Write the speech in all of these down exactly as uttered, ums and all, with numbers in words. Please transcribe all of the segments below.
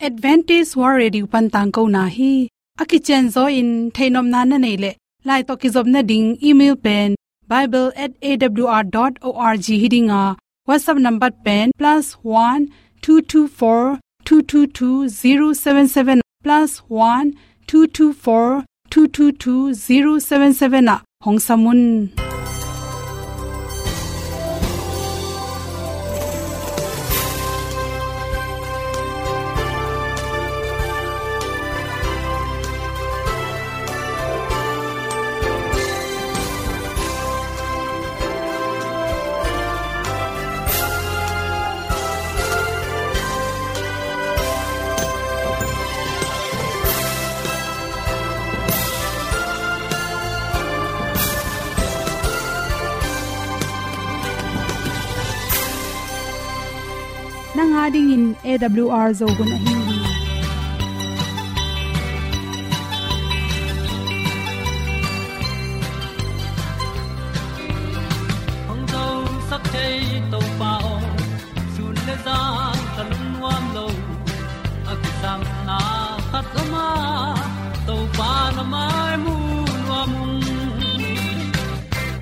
Adventist World Radio pan tangkona hi. A kicianzaw in theihnopna na neih leh, lai tawh kizopna ding email pen bible at A W R dot org hi ding a, WhatsApp number pen plus one two two four two two two zero seven seven, plus one two two four two two two zero seven seven ah hong sam un. Nang a dingin A W R Zo hun ahi hi. Hong zosak thei Topa aw, sun le zan ka lungnuam lo. A kisapna khat om a, Topa na mai mu nuam ung.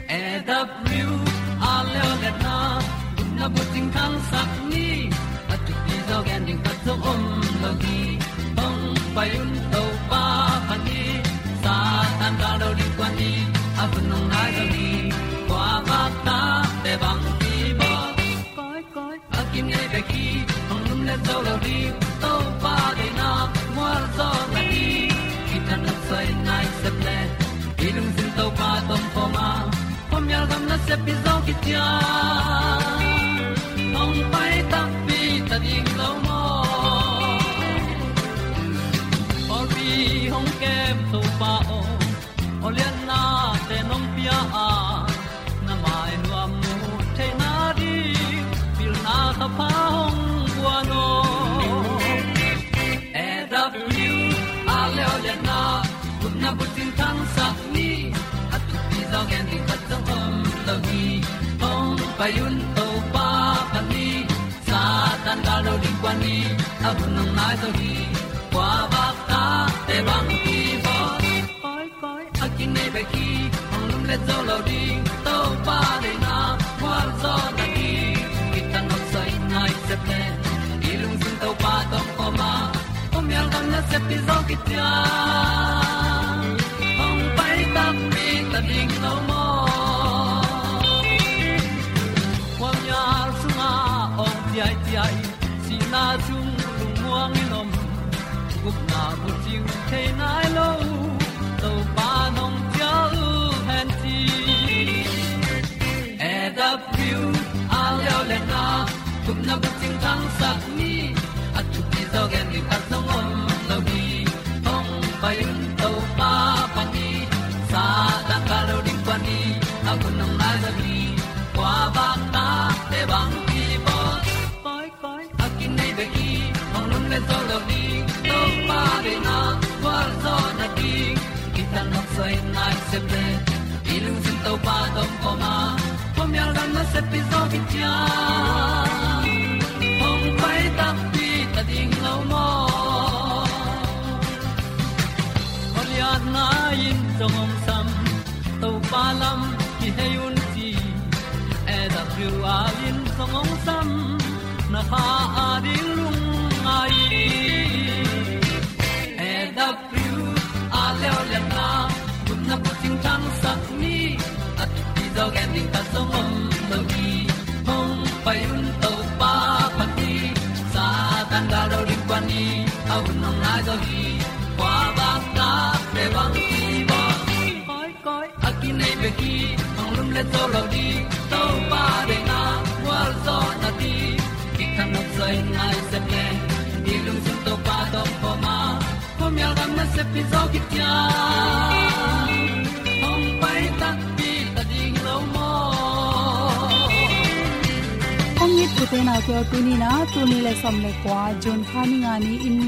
A W R Leoliatna, gupna bucing thangsak ni, a thupi zaw gen ding khat zong om lo hi. Hong pai un Topa phat ni, Satan gal lo ding kuan ni, a hun hong nai zo ni, kua vak ta te bang ki bawl. Koi, koi, a kinei bek hi, hong lum le zo lo ding, Topa deihna mual zaw na ding, kitang a soi nai sep le, i lungsim Topa tawh om khawm a, khuamial gam nasep i zawh khit ciang, hong pai takpi ta ding lo maw. Pawlpi hong kem Topa aw, aw liannate nong pia a, na mai nuam mu theihna ding, pilna thapha hong guan aw. A W R Leoliatna, gupna bucing thangsak ni, a thupi zaw gen ding khat zong om lo hi. Hong pai un Topa phat ni, Satan gal lo ding kuan ni, a hun hong nai zo hi. Kua vak ta te bang ki bawl. Koi, koi, a kinei bek hi, hong lum le zo lo ding, Topa deihna mual zaw na ding, kitang a soi nai sep le, i lungsim Topa tawh om khawm a, khuamial gam nasep i zawh khit ciang, hong pai takpi ta ding lo maw. Khuamial sungah awng ciaiciai, sihna sung lungmuang in om, gupna bucing thei nai lo, Topa nong cial hen ci. A W R Leoliatna, gupna bucing thangsak ni, a thupi zaw gen ding khat zong om lo hi. Hong pai un Topa phat ni, Satan gal lo ding kuan ni, a hun hong nai zo hi. Kua vak ta te bang ki bawl. Koi, koi, a kinei bek hi, hong lum le zo lo ding, Topa deihna mual zaw na ding, kitang a soi nai sep le, i lungsim Topa tawh om khawm a, khuamial gam nasep i zawh khit ciang, hong pai takpi ta ding lo maw. Goliath nai in zong hong sam, Topa lam kihei un ci, A W R in zong hong sam, na kha a ding lungngai. A W R Leoliatna, gupna bucing thangsak ni, a thupi zaw gen ding khat zong om lo hi. Hong pai un Topa phat ni, Satan gal lo ding kuan ni, a hun hong nai zo hi. Kua vak ta te bang ki bawl. Koi, koi, a kinei bek hi, hong lum le zo lo ding, Topa deihna mual zaw na ding, kitang a soi nai sep le, i lungsim Topa tawh om khawm a, khuamial gam nasep i zawh khit ciang, hong pai takpi ta ding lo maw. Kong it u te nau te aw, tuni in ah, tul nih le sawm le kua, June kha ni nga ni-in,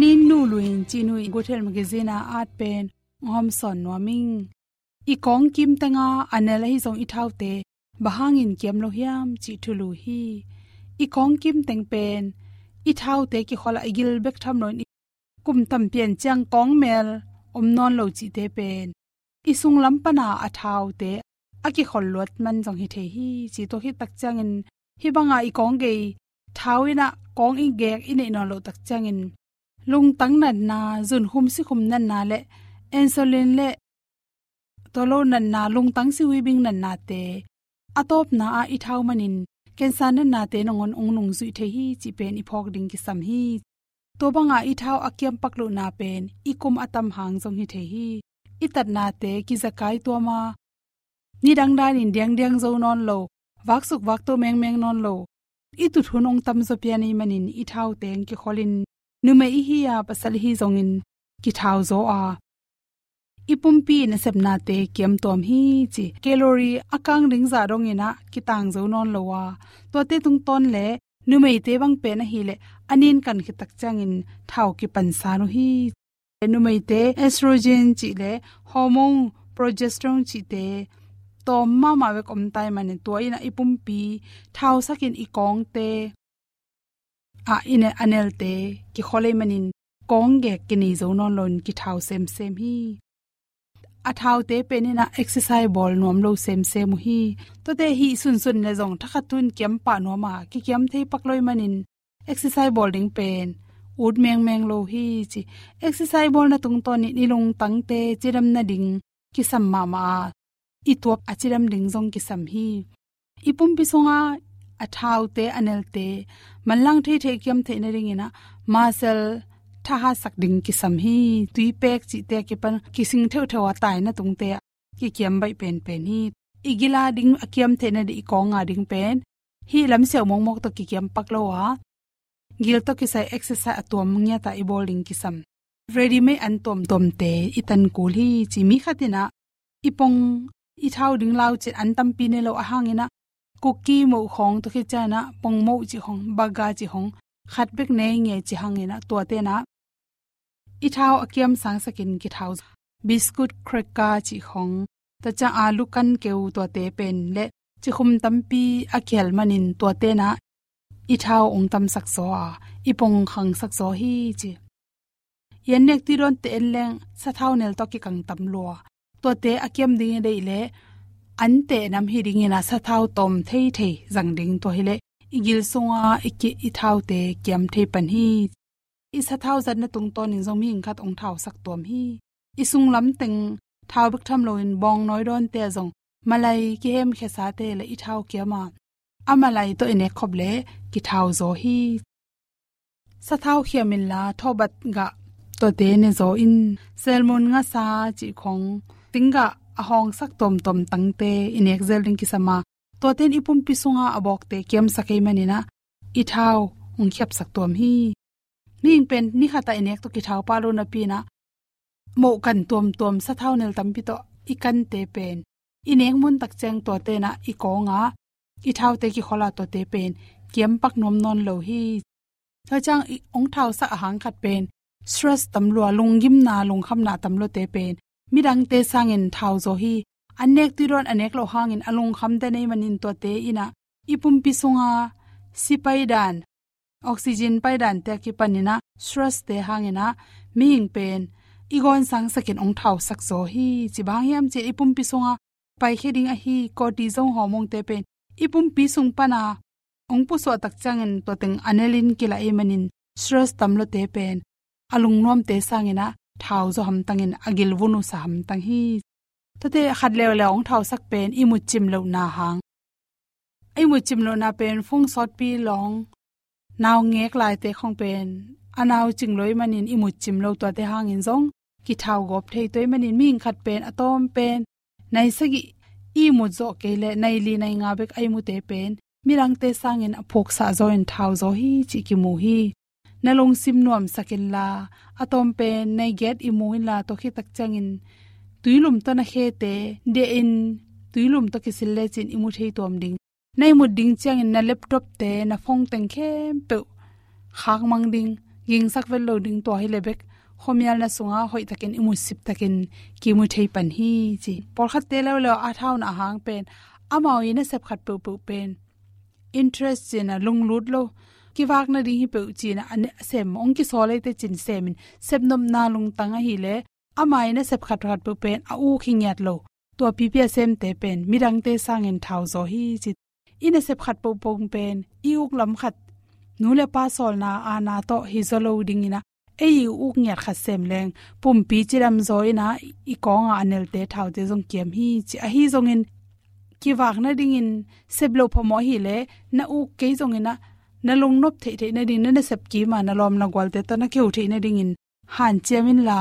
Ni Nu Luin cih nu i Guthel Magazine a at pen hong hawmsawn nuam ing. I kawng kim teng a a nel ahi zong i thaute bang hangin kiam lo hiam cih thulu hi. I kawng kim teng pen i thaute kikhol a i gil bek tham loin i kum tampi en ciang kawng mel om nawn lo cihte pen i sunglam pana a thaute a kikhol luat man zong hi thei hi. Ci tua khit tak ciangin hih banga i kawng gei thau in ah kawng i gek i neih nawn loh tak ciangin lungtang natna, zunkhum sikhum natna le insulin le tua lo natna, lungtang sihuibing natnate a tawpna ah i thau manin cancer natnate nangawn ong nungzuih thei hi cih pen i phawk ding kisam hi. Tua banga i thau a kiampak lohna pen i kum a tam hang zong hi thei hi. I tatnate kizakai tuama nidang danin diangdiang zo nawn lo, vaksuk vakto mengmeng nawn lo, i tut hun ong tamzaw pian i manin i thaute ong kikholin numei i hi a pasal i hi zongin kithau zaw a i pumpi nasepnate kiamtuam hi ci. Calorie a kang ding zah dongin ah kitang zo nawn lo a, tuate tungtawn le numeite bang pen ahileh a nin kan khit tak ciangin thau kipansan uh hi. Numeite estrogen cih le hormone progesterone cihte tawm mahmah bek om tai manin tua in ah i pumpi thausakin i kawngte ah i ne a nelte kikhol ei manin kawng gek kinei zo nawn loin kithau semsem hi. A thaute pen in ah exercise bawl nuam lo semsem uh hi. Tuate hih sunsun le zong thakhat tun kiam pah nuam a kikiam thei pak lo i manin exercise bawl ding pen ut mengmeng lo hi ci. Exercise bawlna tungtawnin i lungtangte cidam nading kisam mahmah a, i tuap a cidam ding zong kisam hi. I pumpi sunga a thaute a nelte manlang theithei kiam theih nadingin ah muscle thahatsak ding kisam hi. Tuipek cihte a kipan kising theuhtheuh a taina tungte ah kikiam baih penpen hi. I gila ding a kiam theih nading i kawnga ding pen hih lamsiau mawkmawk tawh kikiam pak lo a, gil tawh kisai exercise a tuam ngiata i bawl ding kisam. Ready-made an tuamtuamte i tan kul hi ci. Mi khat in ah i pong i thau ding lau cin an tampi nei lo a hangin ah kuki moh khawng tua khit ciangin ah pong moh cih khawng, baga cih khawng khat bek nei nge ci hangin ah tuate in ah i thau a kiam sangsakin kithau. Biscuit, cracker cih khawng, tua ciang alu kan keu tuate pen le cikhum tampi a kihel manin tuate in ah i thau ong tamsak zaw a, i pong khangsak zaw hi ci. I an nek tui dawnte en leng sathau nel tawh kikang tam lua. Tuate a kiam ding i deih leh an teh nam hi dingin ah sathau tawm theithei zang ding, tua hileh i gil sunga i ki, i thaute kiam thei pan hi. I sathau zatna tungtawnin zong mihing khat ong thausak tuam hi. I sunglam teng thau bek tham loin bawngnawi dawnte ah zong malai kihemkhiasate le i thau kiam a, a malai tawh i nek khop leh kithau zaw hi. Sathau khiam inla thawbat gah tuate ne zaw in, selmun, ngasa cih khawng, ting gah a hawngsak tuamtuam tangte i nek zel ding kisam a, tuate in i pumpi sunga a bawkte kiamsak ei manin ah i thau ong khiapsak tuam hi. Mihing pen ni khat ah i nek tawh kithau pah lo napi in ah mohkan tuamtuam sathau nel tampi tawh i kante pen i nek mun tak ciang tuate in ah i kawng a, i thaute kikhol a, tuate pen kiam pak nuam nawn lo hi. Tua ciang i ong thausak a hang khat pen stress tam lua, lunggimna, lungkhamna tam luate pen midangte sangin thau zaw hi. An nek tui dawn a nek loh hangin a lungkham den ei manin tuate in ah i pumpi sunga si paidan, oxygen paidan te a kipanin ah stress te hangin ah mihing pen i gawn sangsakin ong thausak zaw hi. Ci bang hiam cih leh i pumpi sunga paikhia ding ahi cortisol hormone te pen i pumpi sung pana ong pusuah tak ciangin tua teng a nelin kilah ei manin stress tam luate pen a lungnuamte sangin ah thau zaw hamtangin a gil vun uh sa hamtang hi. Tuate khat leuleu ong thausak pen i mut cim lohna hang. I mut cim lohna pen phung sawtpi lawng, nau ngek laite khawng pen a nau cing lo ei manin i mut cim lo, tuate hangin zong kithau gawp thei. Tua ei manin mihing khat pen a tawm pen nai sagih i mut zawh kei leh nai li nai nga bek a i mute pen midangte sangin a phuksah zaw in thau zaw hi cih kimu hi. Na lungsim nuamsak inla, a tawm pen nai giat i mu inla, tua khit tak ciangin tuilum tawh na khete diah in tuilum tawh kisil lecin i mu thei tuam ding. Na i mut ding ciangin na laptop te, na phone teng khempeuh khakmang ding, gingsak vet lo ding, tua hileh bek khuamial na sunga hoihtakin i mut siptakin kimu thei pan hi ci. Pawlkhatte leuleu a thauna a hang pen amau i nasep khat peuhpeuh pen interest cih na lunglut lo, kivak nading hi peuh ci-in ah, a ne-, a sem hong kisawl ei teh ci-in semin, sepnopna lungtang ahih leh, ama in a sep khatkhat peuh pen a uk hi ngiat lo. Tua pipi a semte pen midangte sangin thau zaw hi ci. I nasep khat pohpoh pen i uk lam khat, nu le pa sawlna aana tawh hi zaw lo dingin ah, ei i uk ngiat khat sem leng pumpi cidam zaw in ah, i kawngah a nelte thaute zong kiam hi ci. Ahi zongin kivak nadingin sep loh phamawh ahih leh, na uk kei zongin ah, na lungnop theihtheih nading, na nasep kim a na lawm na gualte tawh na keu theih nadingin hanciam inla,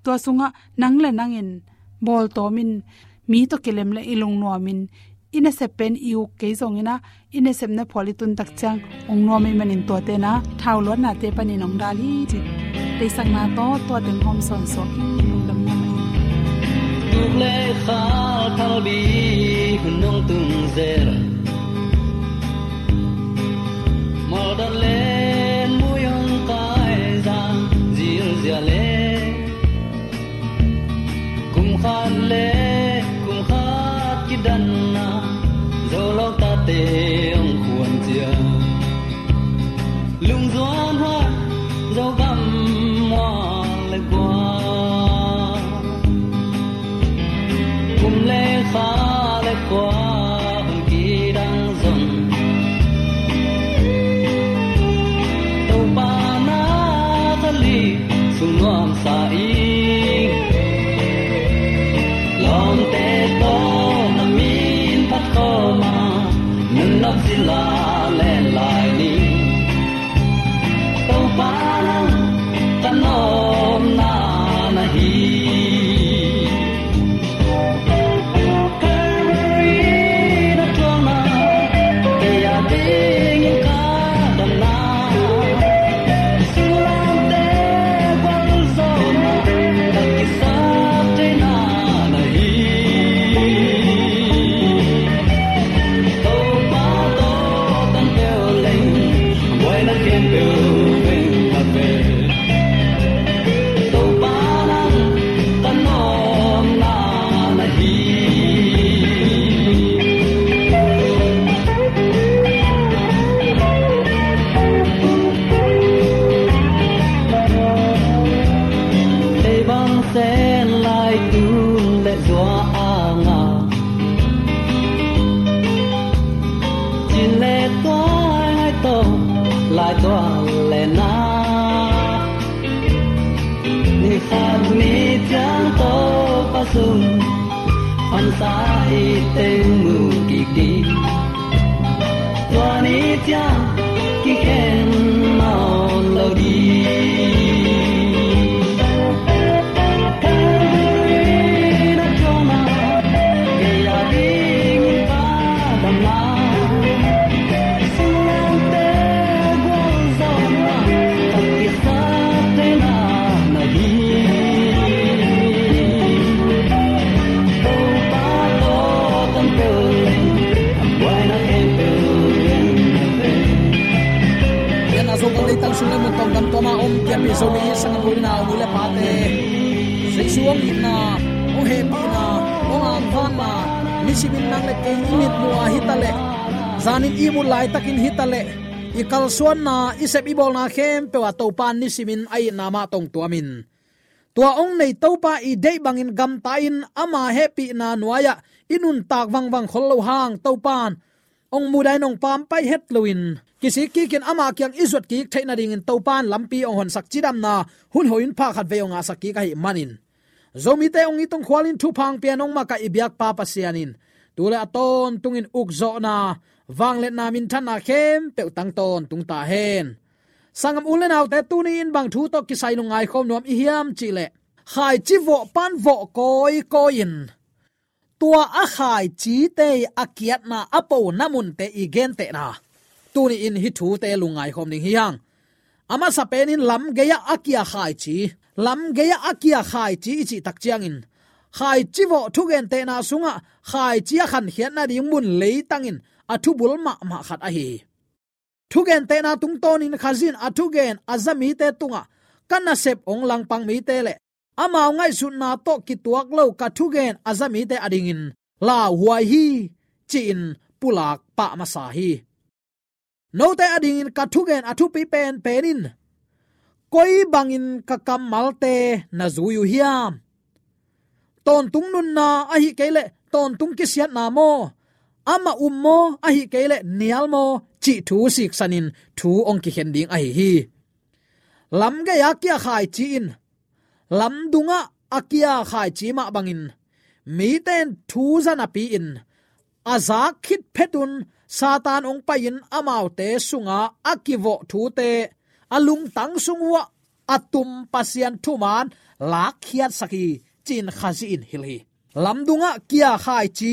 tua sungah nang le nangin bawltawmin, mi tawh kilem le i lungnuamin, i nasep pen i uk kei zongin ah, i nasepna phual i tun tak ciang hong nuam ahih manin tuate in ah thau luatnate panin hong dal hi ci. Deihsakna tawh tua teng hawm sawnsuak hi. Lungdam mahmah hi. Tuk le khal phalbi hun hong tung zel, mawldan le mui hong kai zang zilzial e. Kum khat le kum khat kidanna, Zolawng tate hong khuan ciang, lungzuan huai Zogam mual le kua, kum le kha le kua hong kidang zong, Topa na kha li sung nuamsa i, lawmte tawh na min phat khawm a, nunnak sila len lai ni. Topa nang ka nuamna na hi. Calvary na tuang na, kei a dingin ka damna, sunglamte gualzawhna, ka kisap theihna na hi. Topa tawh tan peuh leng, buaina khempeuh veng khat ve. Topa nang ka nuamna na hi. Ei bang sen lai tun le zua a ngah, cin le tuai ngai tawh lai tual le na, ni khat ni ciang Topa sung phansa i teng mu kik ding. Tua ni ciang kikhen nawn lo ding. Calvary na tuang na, kei a dingin ka damna, sunglamte gualzawhna, ka kisap theihna na hi. Topa tawh tan peuh leng, a buaina khempeuh veng khat ve. Lian a Zogam leitang sung le mun tawng gam tuam a om kiapi Zomi sanggam u le nau, nu le pate, Jesu hong itna, hong hehpihna, hong angvanna, nisimin nang le kei i mitmuh ah hi ta leh, zanin i mut laitakin hi ta leh, i kalsuanna, i sep i bawlna khempeuh ah Topa in nisimin a itna mah tawh hong tuamin, tua hong nei Topa i deih bangin gamta-in ama hehpihna nuai-ah i nuntak vangvang khol loh hang Topa in hong mudahin hong pampai het loin, kisik kikin ama kiang i zuat kik theih nadingin Topa in lampi hong honsak cidamna hun hoih hun pha khat vei hong ngahsak kik ahih manin, Zomite hong it hong khualin thupha hong pia-in hong makaih i biakpa Pasian in tu le a tawntungin ukzawhna, vangliatna, minthanna khempeuh tang tawntung ta hen. Sanggam u le naute, tuni-in bang thu tawh kisai lungngai khawm nuam i hiam cih leh, khaici vawh pan vawh kawikawi-in, tua a khaicite a kiatna a pona munte i gentehna, tuni-in hih thute lungngai khawm ding hi hang. A masa penin lam gei-ah a kia khaici, lam gei-ah a kia khaici i cih tak ciangin, khaici vawh thugentehna sungah khaici a khankhiat nading mun leitangin a thubul mahmah khat ahi hi. Thugentehna tungtawnin Khazih in a thugen a za mite tungah, ka nasep hong langpang mite le amau ngaihsutna tawh kituak lo ka thugen a za mite adingin lauhuai hi, ci-in pulak pah masa hi. Note adingin ka thugen a thupi penpen in koi bangin ka kammalte na zui uh hiam? Tawntung nunna ahi kei leh tawntung kisiatna maw? Amah um maw ahi kei leh nial maw? Cih thu siksanin thu hong kikhen ding ahi hi. Lamgei-a kia khaici in lamdungah a kia khaici mah bangin mite in thu za napi-in a zak khit phetun Satan hong pai-in amaute sungah a kivawh thute a lungtang sung uhah a tum Pasian thuman lakkhiatsak hi, ci-in Khazih in hilh hi. Lamdungah kia khaici,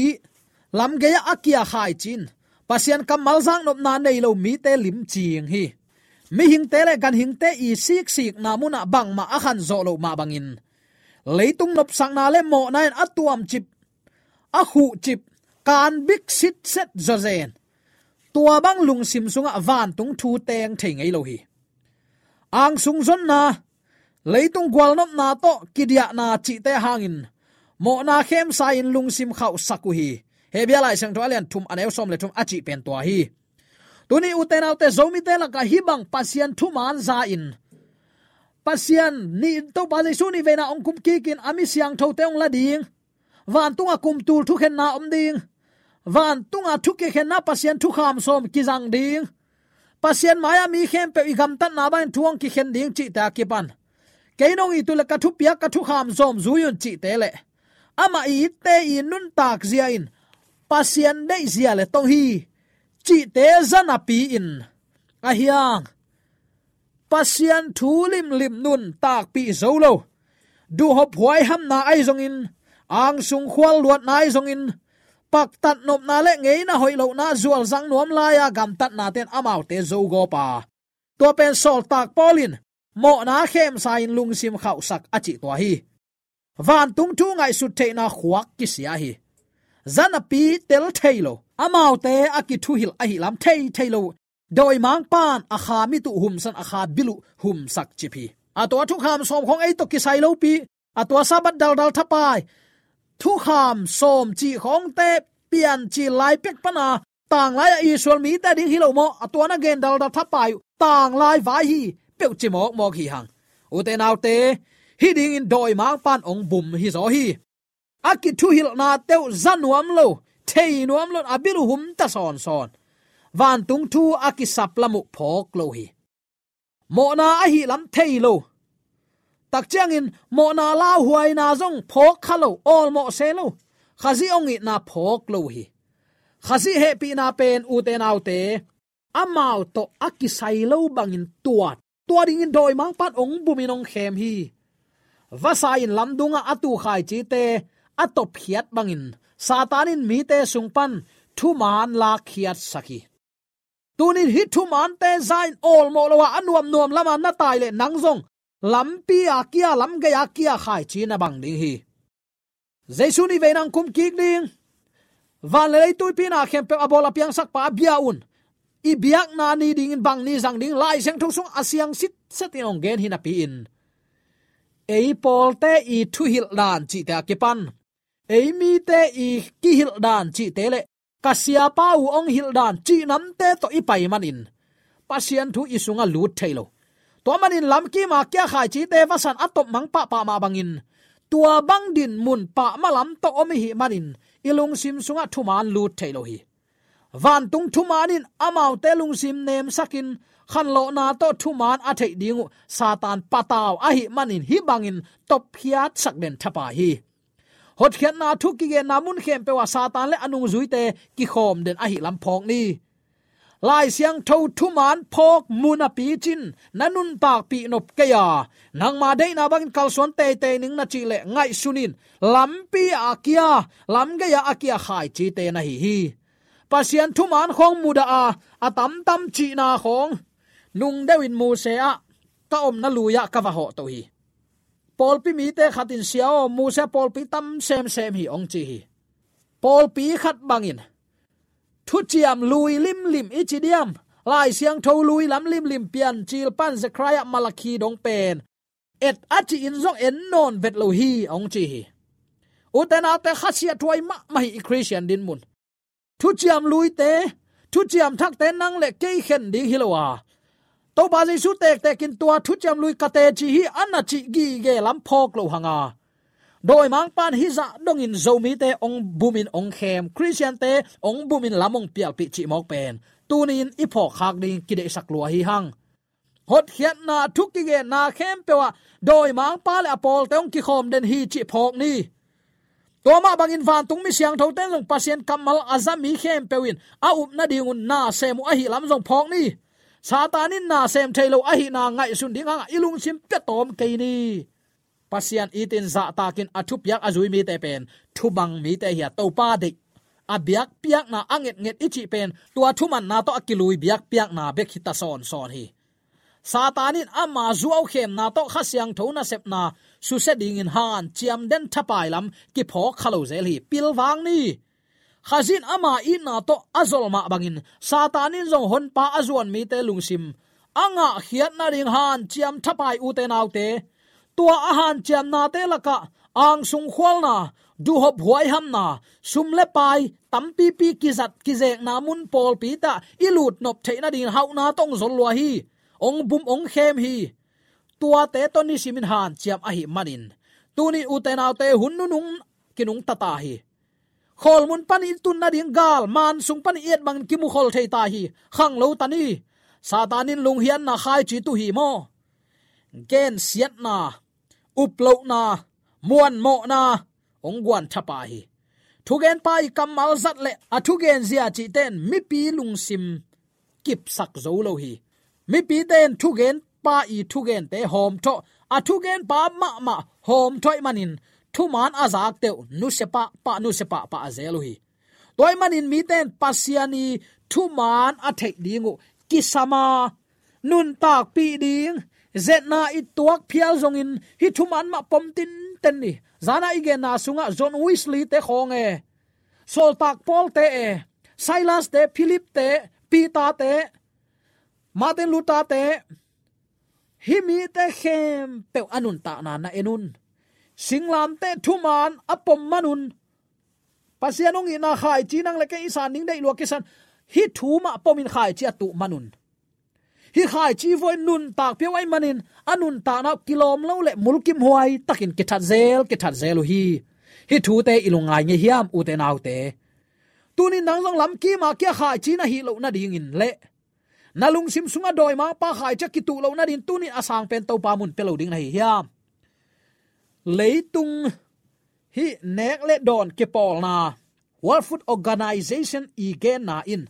lamgei-ah a kia khaici in Pasian kammal zaknopna nei lo mite limcing hi. Mihingte le ganhingte i siksikna munah bangmah a khanzawh loh mah bangin leitung nopsakna le mawhna in a tuamcip, a khuhcip, kanbik sitset zawzen, tua bang lungsim sungah vantung thu teng thei ngei lo hi. Angsung zonna, leitung gualnopna tawh kidiahna cihte hangin mawhna khemsa-in lungsim khauhsak uh hi. Hebru Lai Siangtho a lian thum a neu sawm le thum a cih pen tua hi. Tuni ute naute, Zomite lakah hih bang Pasian thuman za-in Pasian nih, Topa Jesu nih veina hong kumkikin a mi siangthote hong la ding, vantunga kumtul thukhenna om ding, vantunga thu kikhenna Pasian thukham sawm kizang ding, Pasian mai-ah mi khempeuh i gamtatna bangin thu hong kikhen ding cihte a kipan kei nong it uh leh ka thupiak ka thukham sawm zui un cihte le amah i itte i nuntak zia in Pasian deih zia le tong hi cihte za napi-in a hiang Pasian thu limlim nuntakpih zo lo, duhhop huaihamna ahi zongin, angsung khualluatna ahi zongin, paktat nopna le ngeina hoih lohna zualzang nuam lai-a gamtatnate'n amaute zogawp a, tua pen sawltak Paul in mawhna khemsa-in lungsim khauhsak a cih tua hi. Vantung thu ngaihsut theihna khuak kisia hi. Za napi tel thei lo, amaute a kithuhilh ahih lam thei thei lo, dawimangpa'n a kha mit uh humsan, a kha bil uh humsak cip hi. A tua thukham sawm khawng ei tawh kisai lopi, a tua Sabbath daldal thapai thukham sawm cih khawngte piancil lai pek pana tanglai-ah Israel mite ding hi lo maw, a tua na gen daldal thapai uh tanglai vai hi peuh ci mawkmawk hi hang. Ute naute, hih dingin dawimangpa'n hong bum hi zaw hi. A kithuhilhnate uh za nuam lo, thei nuam lo, a bil uh hum ta sawnsawn. Vantung thu a kisap lam uh phawk lo hi. Mawhna ahih lam thei lo, tak ciangin mawhna lauhuaina zong phawk kha lo, awlmawh se lo, Khazih hong itna phawk lo hi. Khazih hehpihna pen ute naute, amau tawh a kisai lo bangin tuat, tua dingin dawimangpa'n hong bumin hong khem hi. Vasa in lamdungah a tu khaicite a topkhiat bangin Satan in mite sung pan thuman lakkhiatsak hi. Tunin hih thumante za-in awlmawh lo-a a nuamnuam lama na tai leh nang zong lampi-a kia, lamgei-a kia khaici na bang ding hi. Jesu nih vei nang kumkik ding, van le lei tuipi na khempeuh a bawl a piangsakpa a bia un, i biakna ni dingin bang ni zang ding Lai Siangtho sung a siang sitset in hong gen hi napi-in, ei pawlte i thuhilh dan cihte a kipan ei mite i kihilh dan cihte le ka siapa uh hong hilh dan cih namte tawh i pai manin Pasian thu i sungah lut thei lo. Tua manin lamkima kia khaicite vasan a topmang pahpah mah bangin tua bang dinmun pahmah lam tawh om ihih manin i lungsim sungah thuman lut thei lo hi. Vantung thuman in amaute lungsim nemsakin khanlawhna tawh thuman a theih ding uh Satan patau ahih manin hih bangin topkhiatsak den thapai hi. Hotkhiatna thu kigenna mun khempeuh ah Satan le a nungzuite kikhawm den ahih lam phawk ni. Lai Siangtho thuman phawk mu napi cin na nuntakpih nop kei a, nangma deihna bangin kalsuan teitei ning na cih leh ngaihsun in, lampi-a a kia, lamgei-a a kia khaicite na hi hi. Pasian thuman khawng mudah a, a tamtam cihna khawng nung deuhin Mose ah ka omna lui-ah ka va hawh to hi. Pawlpi mite khatin, "Sia aw, Mose pawlpi tam semsem hi," hong ci hi. Pawlpi khat bangin thuciam lui limlim i ci diam, Lai Siangtho lui lam limlim Piancil pan Zekhariah, Malakhi dong pen et a ci-in zong en nawn vet lo hi, hong ci hi. Ute naute, khasiathuai mahmah hi i Khristian dinmun. Thuciam luite, thuciam thakte nang le kei khen ding hi lo a, Topa Jesu tektekin tua thuciam lui ka teci hi a na cih gige lam phawk lo hang a, dawimangpa'n hih zah dongin Zomite hong bumin hong khem, Khristiante hong bumin lam hong pialpih cih mawk pen tuni-in i phawkkhak ding kideihsak lua hi hang. Hotkhiatna thu kigenna khempeuh ah dawimangpa le a pawlte hong kikhawm den hi cih phawk ni. Tua mah bangin vantung mi siangthote zong Pasian kammal a za mi khempeuh in a up nadingun na sem uh ahih lam zong phawk ni. Satan in na sem thei lo ahihna ngaihsun ding hangah i lungsim pia tawm kei ni. Pasian itin zahtakin a thupiak a zui mite pen thubang mite hi a, Topa deih a biakpiakna a ngetnget i cih pen tua thumanna tawh a kilui biakpiakna bek hi ta sawnsawn hi. Satan in ama zuaukhemna tawh Kha Siangtho nasepna susia dingin hanciam den thapai lam kiphawk kha lo zel hi. Pilvang ni. Khazih in ama itna tawh a zol mah bangin Satan in zong honpa a zuan mite lungsim a ngahkhiat nading hanciam thapai, ute naute. Tua a hanciamnate lakah angsung khualna, duhhop huaihamna, sum le pai tampipi kizat kizekna mun pawlpi tah i lutnop theih nadingin hauhna tawh hong zol lua hi. Hong bum hong khem hi. Tuate tawh nisimin hanciam ahih manin tuni, ute naute, hun nunung kinungta ta hi. Khawlmun panin i tun nading gal, man sung panin i et bangin kimukhol thei ta hi. Khanglo ta ni. Satan in lunghianna khaici tuh hi maw? Gensiatna, uplohna, muanmawhna hong guan thapai hi. Thugenpa i kammal zat le a thugenzia cihte in mipi lungsim kipsak zo lo hi. Mipite in thugenpa i thugente hawmthawh, a thugenpa mahmah hawmthawh ahih manin thuman a zakte uh nusia pahpah, nusia pahpah a zel uh hi. Tua ahih manin mite in Pasian i thuman a theih ding uh kisam a, nuntakpih ding zetna i tuak phial zongin hih thuman mah pom tinten ni. Zana i genna sungah John Wesley te khawng e, Sawltak Paul te e, Silas te, Philip te, Peter te, Martin Luther te, hih mite khempeuh a nuntakna na en un. Singlamteh thuman a pom man un. Pasian hong itna khaici nang le kei i san ding deih lua kisan. Hih thu mah pomin khaici a tuh man un. Hih khaici vuah in nuntak pia uh ahih manin a nuntakna uh kilawm lo le mulkimhuai takin kithat zel, kithat zel uh hi. Hih thute i lungngai ngei hiam, ute naute? Tunin nang zong lamkim a kia khaici na hih loh nadingin le na lungsim sungah dawimangpa khaici a kituh loh nadingin tunin a sangpen Topa mun pia lo ding na hi hiam? Leitung hih nek le dawn kipawlna, World Food Organization i genna in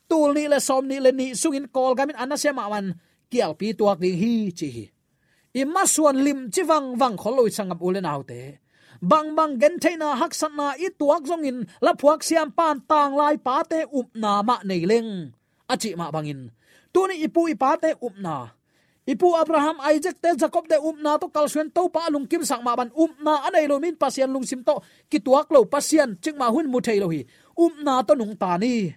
tul nih le sawm nih le nih sungin Kawlgam in a nasia mahmah kialpi tuak ding hi ci hi. I masuan limci vangvang khol lo i sanggam u le naute. Bangbang gentheihna haksatna i tuak zongin laphuak siampan tanglai pate upna mah nei leng a cih mah bangin tuni i pu i pate upna, i pu Abraham, Isaac te, Jacob te upna tawh kalsuan Topa a lungkimsak mah bang upna a nei lo min Pasian lungsim tawh kituak lo, Pasian cikmah hun mu thei lo hi. Upna tawh nungta ni.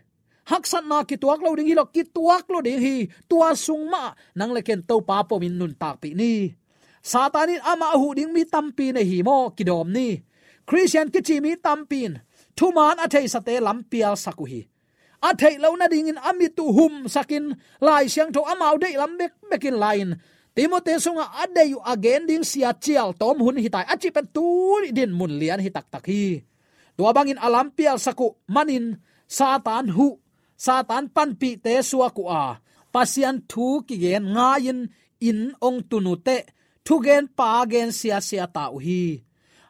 Haksatna kituak lo ding hi lo, kituak lo ding hi. Tua sung mah nang le ken Topa pomin nuntakpih ni. Satan in amah a huh ding mi tampi nei hi maw, kidawm ni. Khristian kici mi tampi in thuman a theisate lam pialsak uh hi. A theih loh nadingin a mit uh humsakin Lai Siangtho amau deih lam bekbekin la-in Timoti sungah a deih uh a gen ding sia cial tawm hun hi tai a cih pen tuni dinmun lian hi taktak hi. Tua bangin a lam pialsak uh manin Satan huh, Satan panpihte suak uh a, Pasian thu kigen ngai-in inn hong tun uh teh thugenpa gen siasia ta uh hi.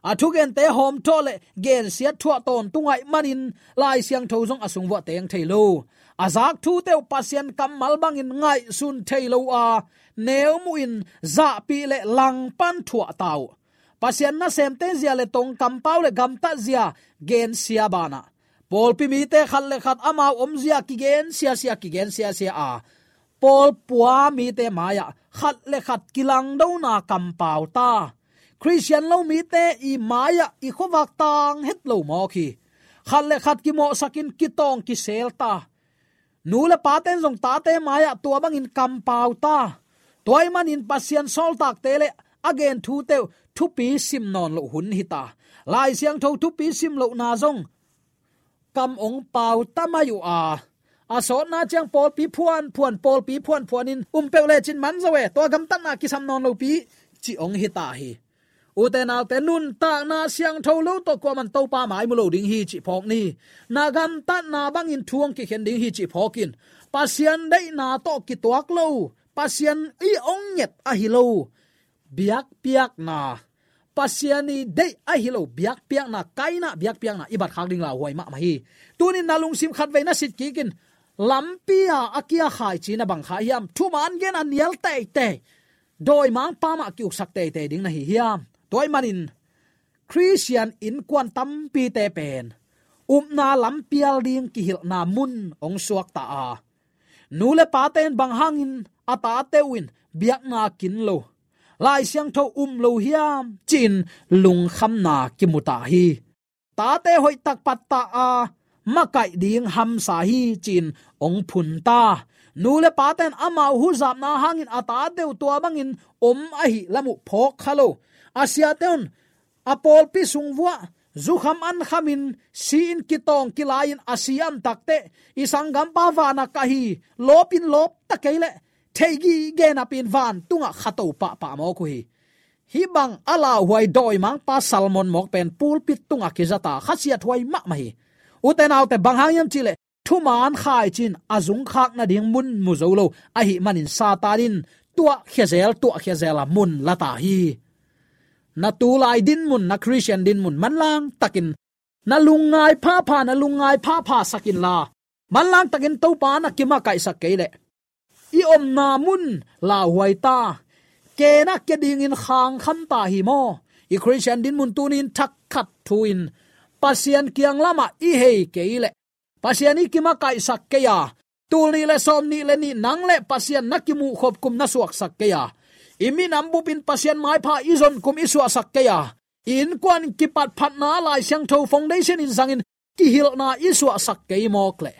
A thugente hawmthawh le gensiat thuah tawntung ahih manin Lai Siangtho zong a sung vuah teng thei lo. A zak thute uh Pasian kammal bangin ngaihsun thei lo a, neu muhin zahpih le langpan thuah ta uh. Pasian nasemte zia le tong kampau le gamtat zia gensia banah pawlpi mite khat le khat amau omzia kigen siasia, kigen siasia a, pawlpua mite mai-ah khat le khat kilangdona kampau ta. Khristian lo mite i mai-ah i khuavak tang het lo mawk hi. Khat le khat kimawhsakin kitawng kisel ta. Nu le pate'n zong tate mai-ah tua bangin kampau ta. Tua ahih manin Pasian sawltakte le a gen thute uh thupi sim nawn loh hun hi ta. Lai Siangtho thupi sim lohna zong kam hong pau ta mai uh a, A sawtna ciang pawlpi phuan phuan, pawlpi phuan phuan in um peuh lecin man zo e, tua gamtatna kisam nawn lopi ci hong hi ta hi. Ute naute, nuntakna siangtho lo tawh kuaman Topa mai mu lo ding hi cih phawk ni. Na gamtatna bangin thu hong kikhen ding hi cih phawk in. Pasian deihna tawh kituak lo, Pasian i hong nget ahi lo biakpiakna, Pasian i deih ahi lo biakpiakna, kaina biakpiakna i bat khak ding lauhuai mahmah hi. Tunin na lungsim khatvei na sit kikin, lampi a a kia khaici na bang kha hiam? Thuman gen a nial teitei, dawimangpa mah ki-uksak teitei ding na hi hiam? Tua ahih manin Khristian innkuan tampite pen upna lampial ding kihilhna mun hong suakta a, nu le pate in bang hangin a tate uh in biakna kin lo, Lai Siangtho um lo hiam ci-in lungkhamna kimu ta hi. Tate hoihtak pattah a makaih ding hamsa hi ci-in hong phun ta. Nu le pate in amau huzapna hangin a tate uh tua bangin om ahih lam uh phawk kha lo. A siate un a pawlpi sung vuah zukham ankhamin si-in kitawng kilai-in a si a om takteh, i sanggampa vana ka hi, lawpin lawp ta kei leh, thei gige napin vantungah khato pahpah mawk uh hi. Hih bang a lauhuai dawimangpa sermon mawk pen pulpit tungah kizata khasiathuai mahmah hi. Ute naute, bang hang hiam cihleh thuman khaici in a zungkhak nading mun mu zo lo ahih manin Satan in tuahkhia zel, tuahkhia zel a mun la ta hi. Na tulai dinmun, na Khristian dinmun manlang takin na lungngai phapha, na lungngai phapha sak inla, manlang takin Topa na kimakaihsak kei leh, i omna mun lauhuai ta. Kena kia dingin khangkham ta hi maw? I Khristian dinmun tunin thak khat thu-in Pasian kiang lamah i hei kei leh, Pasian i kimakaihsak kei a, tul nih le sawm nih le nih nang le Pasian na kimuhkhop kum na suaksak kei a, i minam bupin Pasian maipha i zon kum i suahsak kei a, i innkuan kipatphatna Lai Siangtho foundation in zangin kihilhna i suahsak kei mawk leh,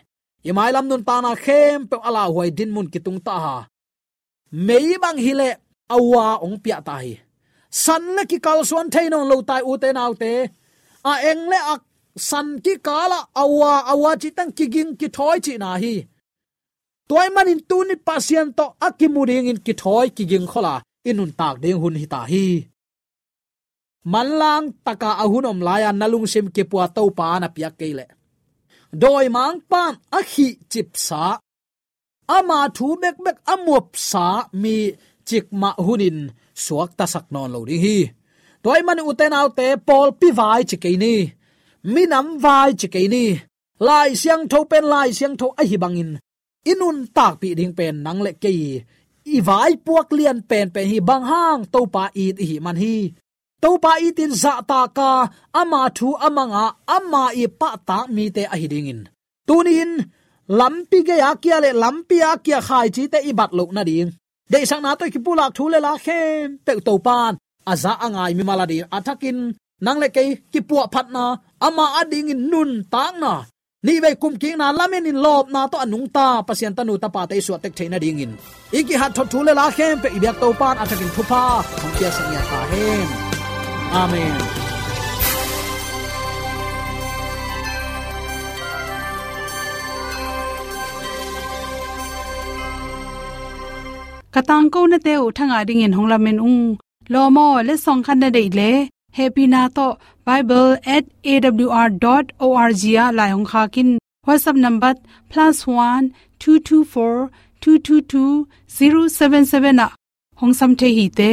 i mailam nuntakna khempeuh a lauhuai dinmun kitung ta a, mei bang hileh a ua hong piah ta hi. San le kikalsuan thei nawn lo ta hi, ute naute. A eng le a san kikalah a ua, a ua cih teng kiging kithawi cihna hi. Tua ahih manin tuni Pasian tawh a kimu dingin kithawi kiging khol a i nuntak ding hun hi ta hi. Manlang taka a hun om lai-a na lungsim kipua Topa na piak kei leh, dawimangpa in a khihcipsa, ama thu bekbek a muapsa mi cikmah hunin suaktasak nawn lo ding hi. Tua ahih manin ute naute, pawlpi vai ci kei ni, minam vai ci kei ni, Lai Siangtho pen Lai Siangtho ahi bangin i nuntakpih ding pen nang le kei i vaipuak lian penpen hi. Bang hang? Topa it i hih man hi. Topa itin zahtak a, ama thu a mang a, ama i pahtak mite ahi dingin, tuni-in lampi gei a kia le lampi a kia khaicite i bat loh nading, deihsakna tawh i kipulak thu le la khempeuh Topa in a za a ngai mimal adingin a thakin nang le kei kipuahphatna, ama adingin nuntakna, nihvei kumkikna, lamenin lawpna tawh a nungta Pasian tanu tapate i suahtek theih nadingin i kihat thot thu le la khempeuh i biak Topa in a thakin thupha hong piaksak ngiat ta hen. Amen. Ka tangkonate uh thangah dingin hong lamen ung. Lawm aw, letsong khat na deih leh, hehpihna tawh bible at A W R dot O R G ah lai hong khak in. WhatsApp number plus one two two four two two two zero seven seven ah hong sam thei hi te.